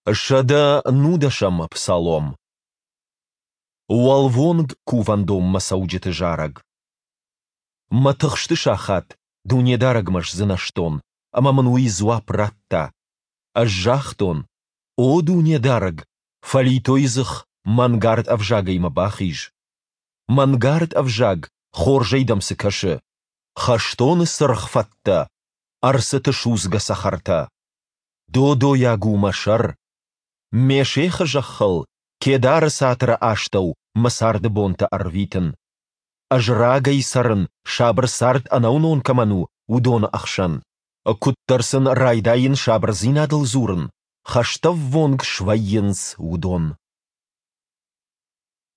119-ӕм псалом. Уӕлвонг кувӕндонмӕ цӕуджыты зарӕг. Мӕ тыхсты сахат Дунедарӕгмӕ сдзынӕзтон, ӕмӕ мын Уый дзуапп радта. Ӕз загътон: О Дунедарӕг, фӕлитой дзых, мӕнгард ӕвзагӕй мӕ бахиз. Мӕнгард ӕвзаг, хорзӕй дӕм цы кӕсы? Хӕстоны цыргъ фӕттӕ, ӕрцыты судзгӕ цӕхӕртӕ. Додойаг у мӕ сӕр! Мешехы зӕххыл, Кедары цатыры астӕу мӕ царды бонтӕ ӕрвитын. Ӕз рагӕй цӕрын, сабыр цард ӕнӕуынон кӕмӕн у, уыдоны ӕхсӕн. Куыддӕр сын райдайын сабырдзинадыл дзурын, хӕстӕввонг свӕййынц уыдон.